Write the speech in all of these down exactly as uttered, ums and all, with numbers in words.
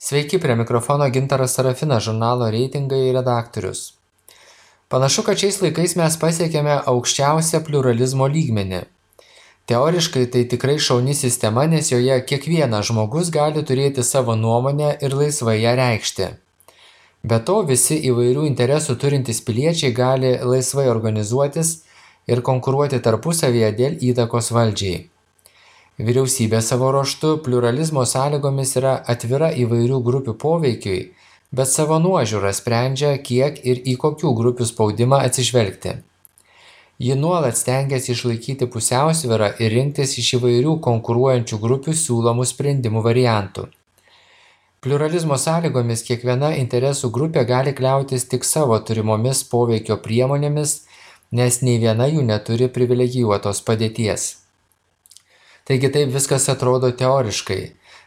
Sveiki, prie mikrofono Gintaras Sarafinas, žurnalo Reitingai redaktorius. Panašu, kad šiais laikais mes pasiekėme aukščiausią pliuralizmo lygmenį. Teoriškai tai tikrai šauni sistema, nes joje kiekvienas žmogus gali turėti savo nuomonę ir laisvai ją reikšti. Be to, visi įvairių interesų turintys piliečiai gali laisvai organizuotis ir konkuruoti tarpusavyje dėl įtakos valdžiai. Vyriausybė savo ruožtu pliuralizmo sąlygomis yra atvira įvairių grupių poveikiui, bet savo nuožiūrą sprendžia, kiek ir į kokių grupių spaudimą atsižvelgti. Ji nuolat stengiasi išlaikyti pusiausvyrą ir rinktis iš įvairių konkuruojančių grupių siūlomų sprendimų variantų. Pliuralizmo sąlygomis kiekviena interesų grupė gali kliautis tik savo turimomis poveikio priemonėmis, nes nei viena jų neturi privilegijuotos padėties. Taigi taip viskas atrodo teoriškai,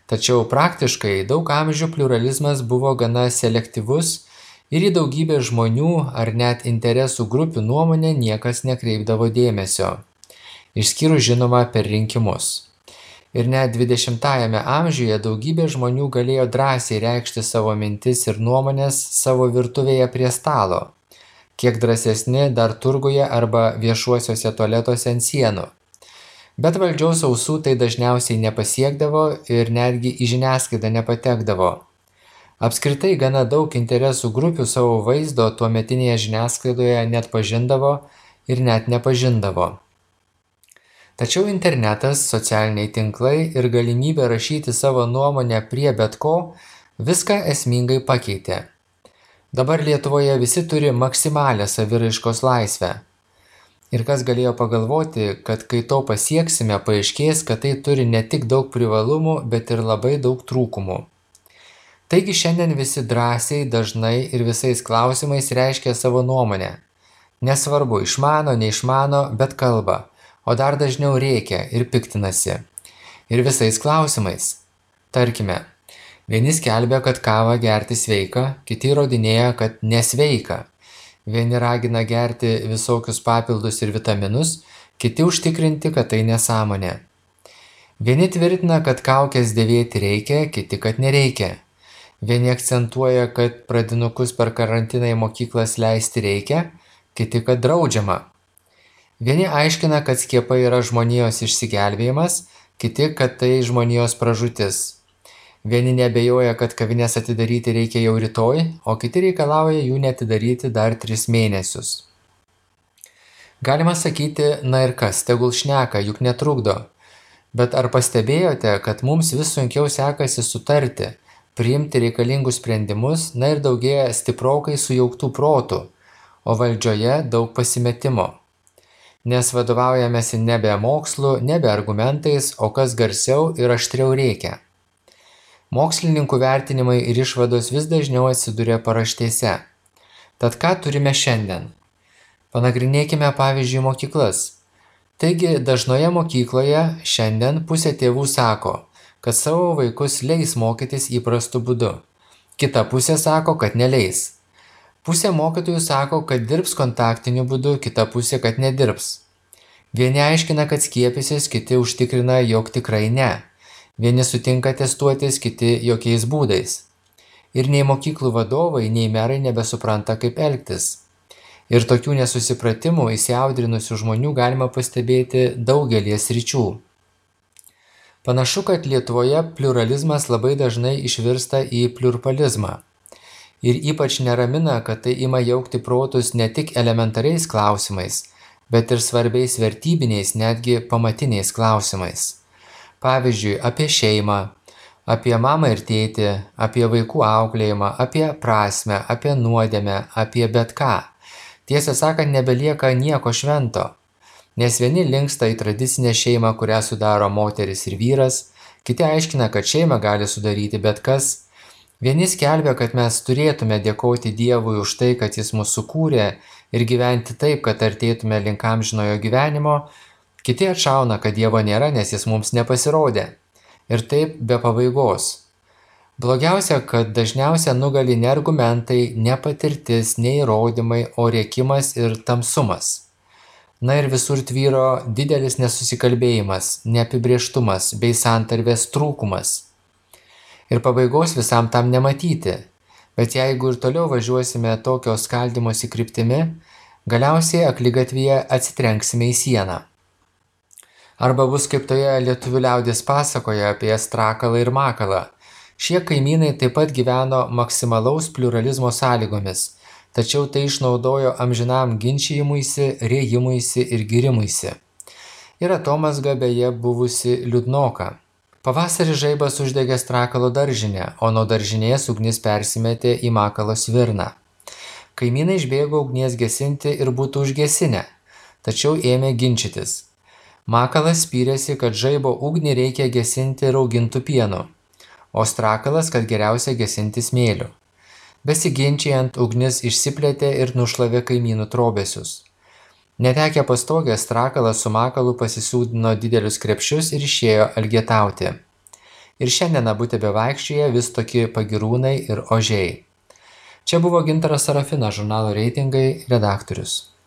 tačiau praktiškai daug amžių pliuralizmas buvo gana selektyvus ir į daugybę žmonių ar net interesų grupių nuomonę niekas nekreipdavo dėmesio, išskyrus žinoma per rinkimus. Ir net dvidešimtajame amžiuje daugybė žmonių galėjo drąsiai reikšti savo mintis ir nuomonės savo virtuvėje prie stalo, kiek drąsesni dar turguje arba viešuosiuose tualetuose ant sienų. Bet valdžios ausų tai dažniausiai nepasiekdavo ir netgi į žiniasklaidą nepatekdavo. Apskritai gana daug interesų grupių savo vaizdo tuometinėje žiniasklaidoje net pažindavo ir net nepažindavo. Tačiau internetas, socialiniai tinklai ir galimybė rašyti savo nuomonę prie bet ko viską esmingai pakeitė. Dabar Lietuvoje visi turi maksimalią saviraiškos laisvę. Ir kas galėjo pagalvoti, kad kai to pasieksime, paaiškės, kad tai turi ne tik daug privalumų, bet ir labai daug trūkumų. Taigi šiandien visi drąsiai, dažnai ir visais klausimais reiškia savo nuomonę. Nesvarbu, išmano, neišmano, bet kalba, o dar dažniau rėkia ir piktinasi. Ir visais klausimais. Tarkime, vieni skelbia, kad kavą gerti sveika, kiti įrodinėja, kad nesveika. Vieni ragina gerti visokius papildus ir vitaminus, kiti užtikrinti, kad tai nesąmonė. Vieni tvirtina, kad kaukės dėvėti reikia, kiti, kad nereikia. Vieni akcentuoja, kad pradinukus per karantiną į mokyklas leisti reikia, kiti, kad draudžiama. Vieni aiškina, kad skiepai yra žmonijos išsigelbėjimas, kiti, kad tai žmonijos pražūtis. Vieni neabejoja, kad kavines atidaryti reikia jau rytoj, o kiti reikalauja jų neatidaryti dar tris mėnesius. Galima sakyti, na ir kas, tegul šneka, juk netrukdo. Bet ar pastebėjote, kad mums vis sunkiau sekasi sutarti, priimti reikalingus sprendimus, na ir daugėja stiprokai sujauktų protų, o valdžioje daug pasimetimo. Nes vadovaujamėsi nebe mokslu, nebe argumentais, o kas garsiau ir aštriau reikia. Mokslininkų vertinimai ir išvados vis dažniau atsiduria paraštėse. Tad ką turime šiandien? Panagrinėkime pavyzdžiui mokyklas. Taigi dažnoje mokykloje šiandien pusė tėvų sako, kad savo vaikus leis mokytis įprastu būdu. Kita pusė sako, kad neleis. Pusė mokytojų sako, kad dirbs kontaktiniu būdu, kita pusė, kad nedirbs. Vieni aiškina, kad skiepysis, kiti užtikrina, jog tikrai ne. Vieni sutinka testuotis, kiti jokiais būdais. Ir nei mokyklų vadovai, nei merai nebesupranta, kaip elgtis. Ir tokių nesusipratimų įsiaudrinusių žmonių galima pastebėti daugelį sričių. Panašu, kad Lietuvoje pliuralizmas labai dažnai išvirsta į pliurpalizmą. Ir ypač neramina, kad tai ima jaukti protus ne tik elementariais klausimais, bet ir svarbiais vertybiniais, netgi pamatiniais klausimais. Pavyzdžiui, apie šeimą, apie mamą ir tėtį, apie vaikų auklėjimą, apie prasmę, apie nuodėmę, apie bet ką. Tiesą sakant, nebelieka nieko švento, nes vieni linksta į tradicinę šeimą, kurią sudaro moteris ir vyras, kiti aiškina, kad šeimą gali sudaryti bet kas. Vieni skelbia, kad mes turėtume dėkoti Dievui už tai, kad jis mus sukūrė ir gyventi taip, kad artėtume link amžinojo gyvenimo. Kiti atšauna, kad Dievo nėra, nes jis mums nepasirodė. Ir taip be pabaigos. Blogiausia, kad dažniausia nugali ne argumentai, ne patirtis, ne įrodymai, o rėkimas ir tamsumas. Na ir visur tvyro didelis nesusikalbėjimas, neapibrėžtumas bei santarvės trūkumas. Ir pabaigos visam tam nematyti. Bet jeigu ir toliau važiuosime tokio skaldymosi kryptimi, galiausiai akligatvyje atsitrenksime į sieną. Arba bus kaip toje lietuvių liaudies pasakoje apie strakalą ir makalą. Šie kaimynai taip pat gyveno maksimalaus pliuralizmo sąlygomis, tačiau tai išnaudojo amžinam ginčijimuisi, rėjimuisi ir gyrimuisi. Ir atomazga beje buvusi liūdnoka. Pavasarį žaibas uždegė strakalo daržinę, o nuo daržinės ugnis persimetė į makalo svirną. Kaimynai išbėgo ugnies gesinti ir būtų užgesinę, tačiau ėmė ginčytis. Makalas spyrėsi, kad žaibo ugnį reikia gesinti raugintų pienu, o strakalas, kad geriausia gesinti smėliu. Besiginčiant, ugnis išsiplėtė ir nušlavė kaimynų trobesius. Netekę pastogės, strakalas su makalu pasisūdino didelius krepšius ir išėjo elgetauti. Ir šiandien abu tebevaikščioja vis tokie pagyrūnai ir ožiai. Čia buvo Gintaras Sarafinas, žurnalo Reitingai redaktorius.